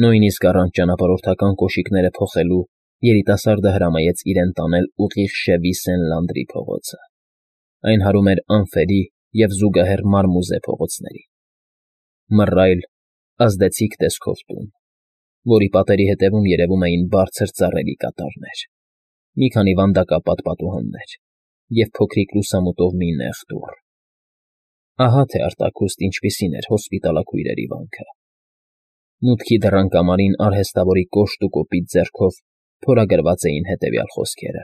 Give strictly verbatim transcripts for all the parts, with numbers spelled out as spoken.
Նույնիսկ առանց ճանապարհորդական կոշիկները փոխելու երիտասարդը հրամայեց իրեն տանել ուղիղ Շևի Սեն֊Լանդրի փողոցը. այն հարում էր ամֆերի և զուգահեռ մարմուզե փողոցներին, մռայլ, ազդեցիկ տեսքով տուն, որի պատերի ետևում երևում էին բարձր ծառերի կատարներ, մի քանի վանդակապատ պատուհաններ և փոքրիկ լուսամուտով մի նեղ դուռ. ահա թե արտաքուստ ինչպիսին էր հոսպիտալաքույրերի վանքը. մուտքի դռան կամարին արհեստավորի կոշտ ու կոպիտ ձեռքով փորագրված էին հետևյալ խոսքերը.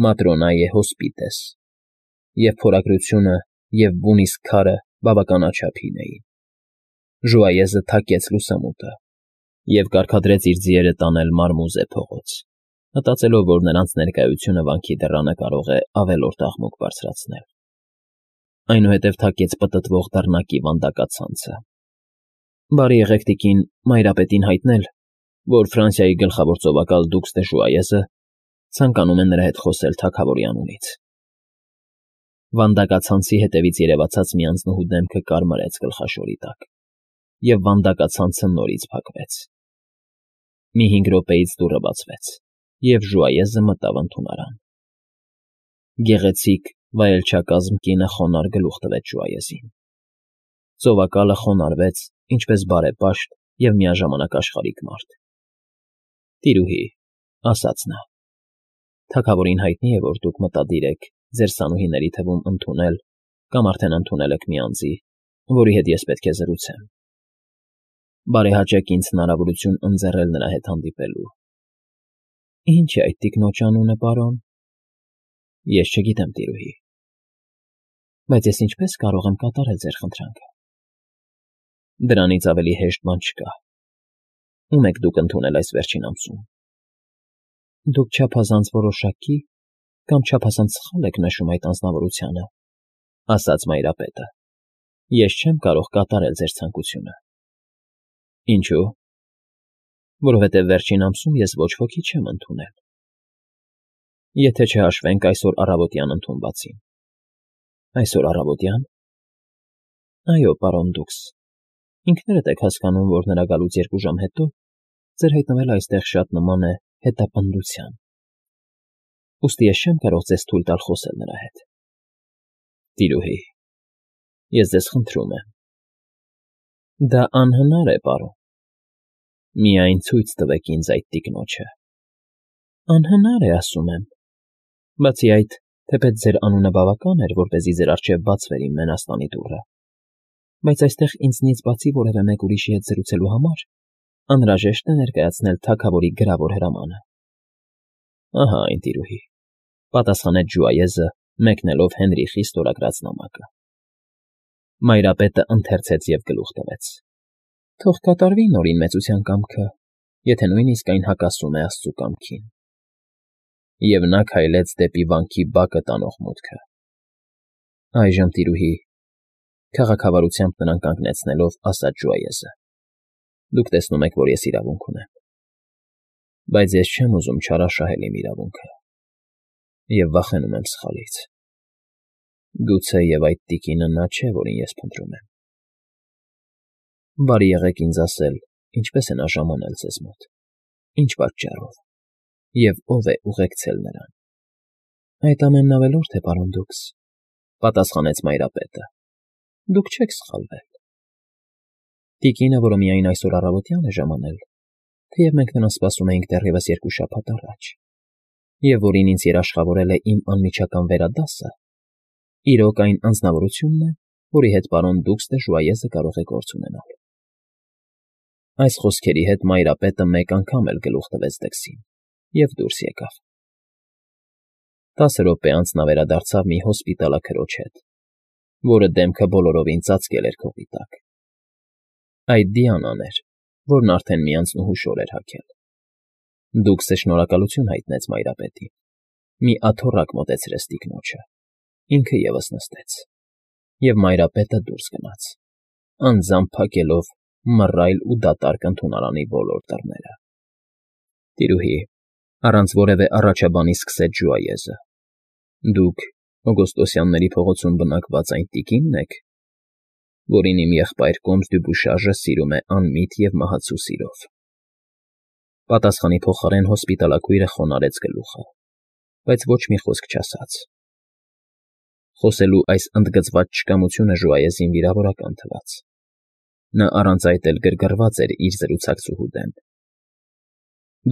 Matronae Hospites, և փորագրությունը և բուն իսկ քարը բավականաչափին էին։ Ժուայեզը թակեց լուսամուտը և կարգադրեց իր ձիերը տանել մարմուզե փողոց, մտածելով, որ նրանց ներկայությունը վանքի դռանը կարող է ավելորդ աղմուկ բարձրացնել։ Այնուհետև թակեց պտտվող դռնակի վանդակացանցը։ Բարի եղեք, տիկին, Մայրապետին հայտնել, որ Ֆրանսիայի գլխավոր ծովակալ դուքս դե Ժուայեզը ցանկանում է նրա հետ խոսել թագավորի անունից։ Վանդակացանցի հետևից երևացած մի անձնուհու դեմքը կարմրեց գլխաշորի տակ, և վանդակացանցը նորից փակվեց։ Մի հինգ րոպեից դուռը բացվեց, և Ժուայեզը մտավ ընդունարան։ Գեղեցիկ, վայելչակազմ կինը խոնարհ գլուխ տվեց Ժուայեզին։ Ծովակալը խոնարհվեց, ինչպես բարեպաշտ և միաժամանակ աշխարհիկ մարդ։ ֊ Տիրուհի,֊ ասաց նա,֊ թագավորին հայտնի է, որ դուք մտադիր եք ձեր սանուհիների թվում ընդունել կամ արդեն ընդունել եք մի անձի, որի հետ ես պետք է զրուցեմ։ Բարեհաճեք ինձ հնարավորություն ընձեռել նրա հետ հանդիպելու։ ֊ Ի՞նչ է այդ տիկնոջ անունը, պարոն։ ֊ Ես չգիտեմ, տիրուհի։ ֊ Բայց ես ինչպե՞ս կարող եմ կատարել ձեր խնդրանքը։ ֊ Դրանից ավելի հեշտ բան չկա։ Ո՞ւմ եք դուք ընդունել այս վերջին ամսում։ ֊ Դուք չափազանց որոշակի կամ չափազանց սխալ եք նշում այդ անձնավորությանը,֊ ասաց Մայրապետը։ Ես չեմ կարող կատարել ձեր ցանկությունը։ ֊ Ինչո՞ւ։ ֊ Որովհետև վերջին ամսում ես ոչ ոքի չեմ ընդունել։ ֊ Եթե չհաշվենք այսօր առավոտյան ընդունվածին։ ֊ Այսօր առավոտյա՞ն։ ֊ Այո, պարոն դուքս, ինքներդ եք հասկանում, որ նրա գալուց երկու ժամ հետո ձեր հայտնվելը այստեղ շատ նման է հետապնդության։ Ուստի ես չեմ կարող ձեզ թույլ տալ խոսել նրա հետ։ ֊ Տիրուհի, ես ձեզ խնդրում եմ։ ֊ Դա անհնար է, պարոն։ ֊ Միայն ցույց տվեք ինձ այդ տիկնոջը։ ֊ Անհնար է, ասում եմ։ Բացի այդ, թեպետ ձեր անունը բավական էր, որպեսզի ձեր առջև բացվեր իմ մենաստանի դուռը, բայց այստեղ ինձնից բացի որևէ մեկ ուրիշի հետ զրուցելու համար անհրաժեշտ է ներկայացնել թագավորի գրավոր հրամանը։ ֊ Ահա այն, տիրուհի,֊ պատասխանեց Ժուայեզը, մեկնելով Հենրիխի ստորագրած նամակը։ Մայրապետը ընթերցեց և գլուխ տվեց։ ֊ Թող կատարվի Նորին մեծության կամքը, եթե նույնիսկ այն հակասում է աստծու կամքին։ Եվ նա քայլեց դեպի վանքի բակը տանող մուտքը։ Այժմ, տիրուհի,֊ քաղաքավարությամբ նրան կանգնեցնելով, ասաց Ժուայեզը,֊ դուք տեսնում եք, որ ես իրավունք ունեմ։ Բայց ես չեմ ուզում չարաշահել իմ իրավունքը և վախենում եմ սխալից։ Գուցեև այդ տիկինը նա չէ, որին ես փնտրում եմ։ Բարի եղեք ինձ ասել, ինչպե՞ս է նա ժամանել ձեզ մոտ, ինչ պատճառով, և ո՞վ է ուղեկցել նրան։ ֊ Այդ ամենն ավելորդ է, պարոն դուքս,֊ պատասխանեց Մայրապետը։ ֊ Դուք չեք սխալվել։ Տիկինը, որը միայն այսօր առավոտյան է ժամանել, թեև մենք նրան սպասում էինք դեռևս երկու շաբաթ առաջ, և որին ինձ երաշխավորել է իմ անմիջական վերադասը, իրոք այն անձնավորությունն է, որի հետ պարոն դուքս դե Ժուայեզը կարող է գործ ունենալ։ Այս խոսքերի հետ Մայրապետը մեկ անգամ էլ գլուխ տվեց դքսին և դուրս եկավ։ Տասը րոպե անց նա վերադարձավ մի հոսպիտալաքրոջ հետ, որը դեմքը բոլորովին ծածկել էր քողի տակ։ Այդ Դիանան էր, որն արդեն մի անձնուհու շոր էր հագել։ Դուքսը շնորհակալություն հայտնեց Մայրապետին, մի աթոռակ մոտեցրեց տիկնոջը, ինքը ևս նստեց, և Մայրապետը դուրս գնաց, անձամբ փակելով մռայլ ու դատարկ ընդունարանի բոլոր դռները։ ֊ Տիրուհի,֊ առանց որևէ առաջաբանի սկսեց Ժուայեզը,֊ դուք Օգոստոսյանների փողոցում բնակված այն տիկի՞նն եք։ ֊ որին իմ եղբայր Կոմս Դյուբուշաժը սիրում է անմիտ և մահացու սիրով։ Պատասխանի փոխարեն հոսպիտալաքույրը խոնարհեց գլուխը, բայց ոչ մի խոսք չասաց։ Խոսելու այս ընդգծված չկամությունը Ժուայեզին վիրավորական թվաց։ Նա առանց այդ էլ գրգռված էր իր զրուցակցուհու դեմ։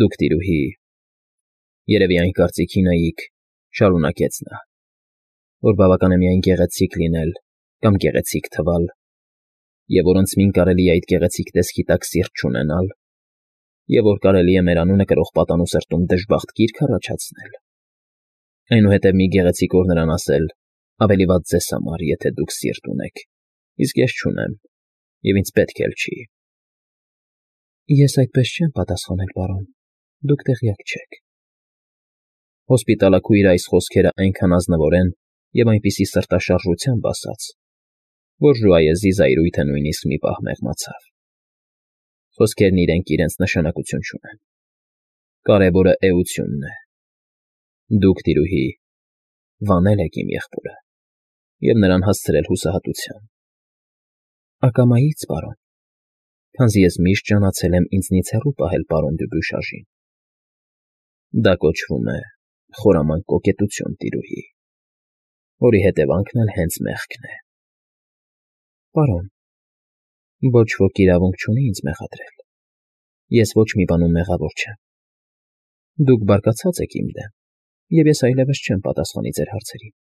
Դուք, տիրուհի, երևի այն կարծիքին էիք, շարունակեց նա, որ բավական է միայն գեղեցիկ լինել կամ գեղեցիկ թվալ, և որ ընդցմին կարելի է այդ գեղեցիկ տեսքի տակ սիրտ չունենալ, և որ կարելի է մեր անունը կրող պատանու սրտում դժբախտ գիրք առաջացնել, այնուհետև մի գեղեցիկ օր նրան ասել. ավելի վատ ձեզ համար, եթե դուք սիրտ ունեք, իսկ ես չունեմ, և ինձ պետք էլ չի։ Ես այդպես չեմ պատասխանել, պարոն, դուք տեղյակ չեք։ Հոսպիտալաքույրը այս խոսքերը այնքան ազնվորեն և այնպիսի սրտաշարժությամբ ասաց, որ Ժուայեզի զայրույթը նույնիսկ մի պահ մեղմացավ։ Խոսքերն իրենք իրենց նշանակություն չունեն։ Կարևորը էությունն է։ Դուք, տիրուհի, վանել եք իմ եղբորը և նրան հասցրել հուսահատության։ Ակամայից, պարոն, քանզի ես միշտ ջանացել եմ ինձնից հեռու պահել պարոն Դյուբուշաժին։ Դա կոչվում է խորամանկ կոկետություն, տիրուհի, որի հետևանքն էլ հենց մեղքն է։ Պարոն, ոչ ոք իրավունք չունի ինձ մեղադրել։ Ես ոչ մի բանում մեղավոր չեմ։ Դուք բարկացած եք իմ դեմ, և ես այլևս չեմ պատասխանի ձեր հարցերին։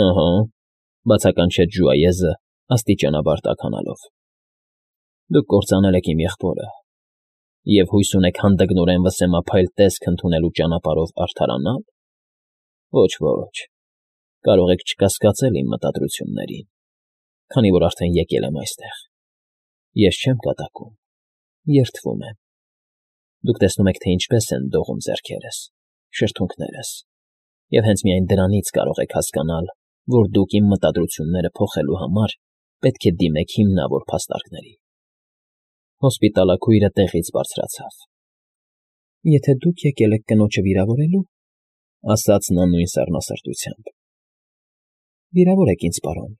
Ահա, բացականչեց Ժուայեզը, աստիճանաբար տաքանալով։ Դուք կործանել եք իմ եղբորը, և հույս ունեք հանդգնորեն վսեմափայլ տեսք ընդունելու ճանապարհով արդարանալ։ Ոչ, ոչ, կարող եք չկասկածել իմ մտադրություններին, քանի որ արդեն եկել եմ այստեղ։ Ես չեմ կատակում, երդվում եմ։ Դուք տեսնում եք, թե ինչպես են դողում ձեռքերս, շրթունքներս, և հենց միայն դրանից կարող եք հասկանալ, որ դուք իմ մտադրությունները փոխելու համար պետք է դիմեք հիմնավոր փաստարկների։ Հոսպիտալաքույրը տեղից բարձրացավ։ Եթե դուք եկել եք կնոջը վիրավորելու, ասաց նա նույն սառնասրտությամբ, վիրավորեք ինձ, պարոն։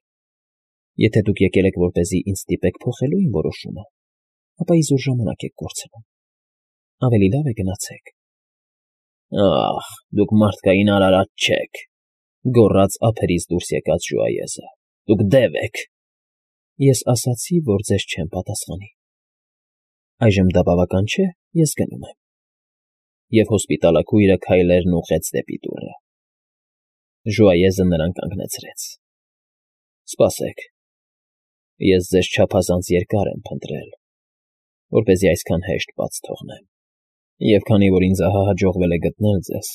Եթե դուք եկել եք, որպեսզի ինձ ստիպեք փոխելու իմ որոշումը, ապա իզուր ժամանակ եք կորցնում։ Ավելի լավ է գնացեք։ Ախ, դուք մարդկային արարած չեք, գոռաց ափերից դուրս եկած Ժուայեզը։ Դուք դև եք։ Ես ասացի, որ ձեզ չեմ պատասխանի։ Այժմ դա բավական չէ, ես գնում եմ։ Եվ հոսպիտալաքույրը քայլերն ուղղեց դեպի դուռը։ Ժուայեզը նրան կանգնեցրեց։ Սպասեք, ես ձեզ չափազանց երկար եմ փնտրել, որպեսզի այսքան հեշտ բաց թողնեմ, և քանի որ ինձ ահա հաջողվել է գտնել ձեզ,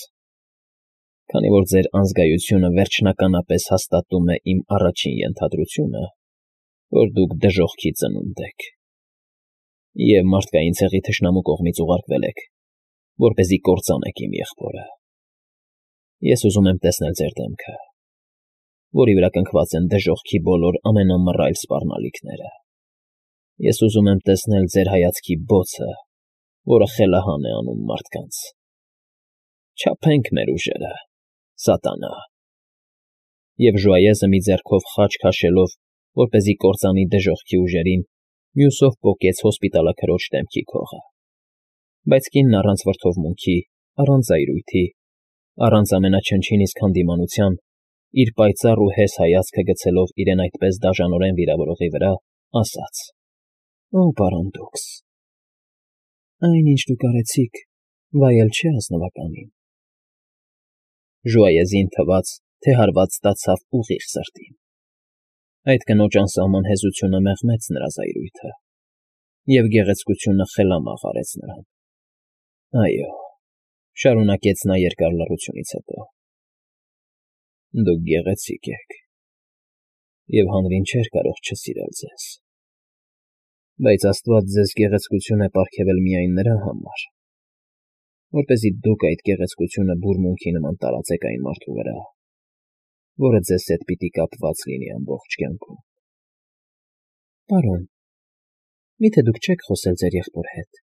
քանի որ ձեր անզգայությունը վերջնականապես հաստատում է իմ առաջին ենթադրությունը, որ դուք դժոխքի ծնունդ եք, և մարդկային ցեղի թշնամու կողմից ուղարկվել եք, որպեսզի կործանեք իմ եղբորը, ես ուզում եմ տեսնել ձեր դեմքը, որի վրա կնքված են դժոխքի բոլոր ամենամռայլ սպառնալիքները։ Ես ուզում եմ տեսնել ձեր հայացքի բոցը, որը խելահան է անում մարդկանց։ Չափենք մեր ուժերը, սատանա։ Եվ Ժուայեզը մի ձեռքով խաչ քաշելով, որպեսզի կործանի դժոխքի ուժերին, մյուսով պոկեց հոսպիտալաքրոջ դեմքի քողը։ Բայց կինն առանց վրդովմունքի, առանց զայրույթի, առանց ամենաչնչին իսկ հանդիմանության, իր պայծառ ու հես հայացքը գցելով իրեն այդպես դաժանորեն վիրավորողի վրա, ասաց. Օ, պարոն Դուքս, այն, ինչ դուք արեցիք, վայել չէ ազնվականին։ Ժուայեզին թվաց, թե հարված ստացավ ուղիղ սրտին։ Այդ կնոջ անսահման հեզությունը մեղմեց նրա զայրույթը, և գեղեցկությունը խելամաղ արեց նրան։ Այո, շարունակեց նա երկար լռությունից հետո, դուք գեղեցիկ եք, և հանրին չէր կարող չսիրել ձեզ, բայց աստված ձեզ գեղեցկություն է պարգևել միայն նրա համար, որպեսզի դուք այդ գեղեցկությունը բուրմունքի նման տարածեք այն մարդու վրա, որը ձեզ հետ պիտի կապված լինի ամբողջ կյանքում։ Պարոն, մի՞թե դուք չեք խոսել ձեր եղբոր հետ,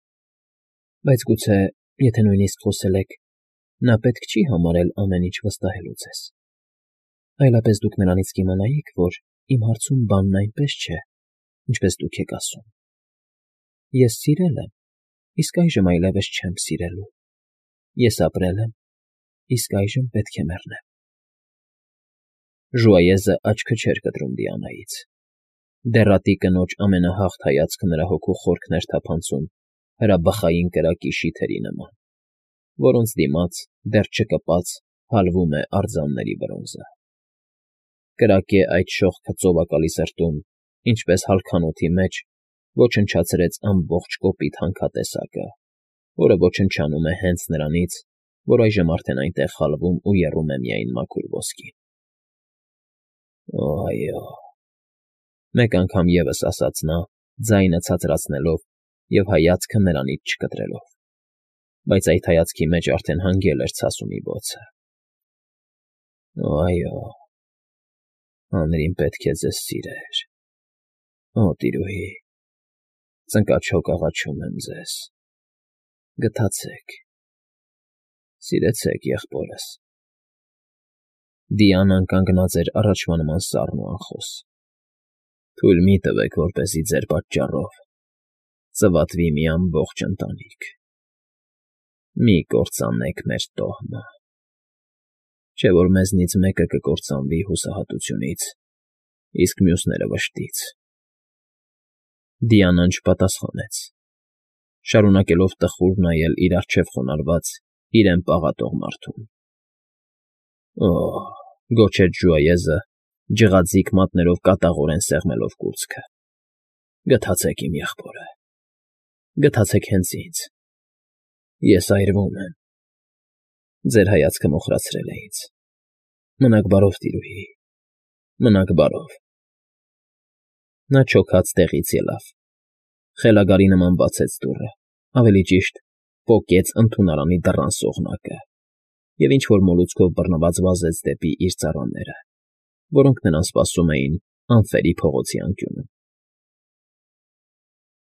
բայց գուցե, եթե նույնիսկ խոսել եք, նա պետք չի համարել ամեն ինչ վստահելու ձեզ, այլապես դուք նրանից կիմանայիք, որ իմ հարցում բանն այնպես չէ, ինչպես դուք եք ասում. ես սիրել եմ, իսկ այժմ այլևս չեմ սիրելու, ես ապրել եմ, իսկ այժմ պետք է մեռնեմ… Ժուայեզը աչքը չէր կտրում Դիանայից. դեռատի կնոջ ամենահաղթ հայացքը նրա հոգու խորքն էր թափանցում հրաբխային կրակի շիթերի նման, որոնց դիմաց, դեռ չկպած, հալվում է արձանների բրոնզը… Կրակե այդ շողքը ծովակալի սրտում, ինչպես հալքանոթի մեջ, ոչնչացրեց ամբողջ կոպիտ հանքատեսակը, որը ոչնչանում է հենց նրանից, որ այժմ արդեն այնտեղ խալվում ու եռում է միայն մաքուր ոսկին։ Օ, այո…֊ մեկ անգամ ևս ասաց նա, ձայնը ցածրացնելով և հայացքը նրանից չկտրելով, բայց այդ հայացքի մեջ արդեն հանգել էր ցասումի բոցը։ Օ, այո… հանրին պետք է ձեզ սիրեր… Օ, տիրուհի, ծնկաչոք աղաչում եմ ձեզ… գթացեք… սիրեցեք եղբորս… Դիանան կանգնած էր առաջվա նման սառն ու անխոս։ Թույլ մի տվեք, որպեսզի ձեր պատճառով ծվատվի մի ամբողջ ընտանիք… Մի կործանեք մեր տոհմը… չէ՞ որ մեզնից մեկը կկործանվի հուսահատությունից, իսկ մյուսները՝ վշտից… Դիանան չպատասխանեց, շարունակելով տխուր նայել իր առջև խոնարհված, իրեն պաղատող մարդուն։ Օ՜…֊ գոչեց Ժուայեզը, ջղաձիգ մատներով կատաղորեն սեղմելով կուրծքը։֊ Գթացեք, իմ եղբորը… գթացեք հենց ինձ… ես այրվում եմ… ձեր հայացքը մոխրացրել է ինձ… մնաք բարով, տիրուհի… մնաք բարով… Նա չոքած տեղից ելավ, խելագարի նման բացեց դուռը, ավելի ճիշտ, պոկեց ընդունարանի դռան սողնակը և ինչ֊որ մոլուցքով բռնված վազեց դեպի իր ծառաները, որոնք նրան սպասում էին ամֆերի փողոցի անկյունում։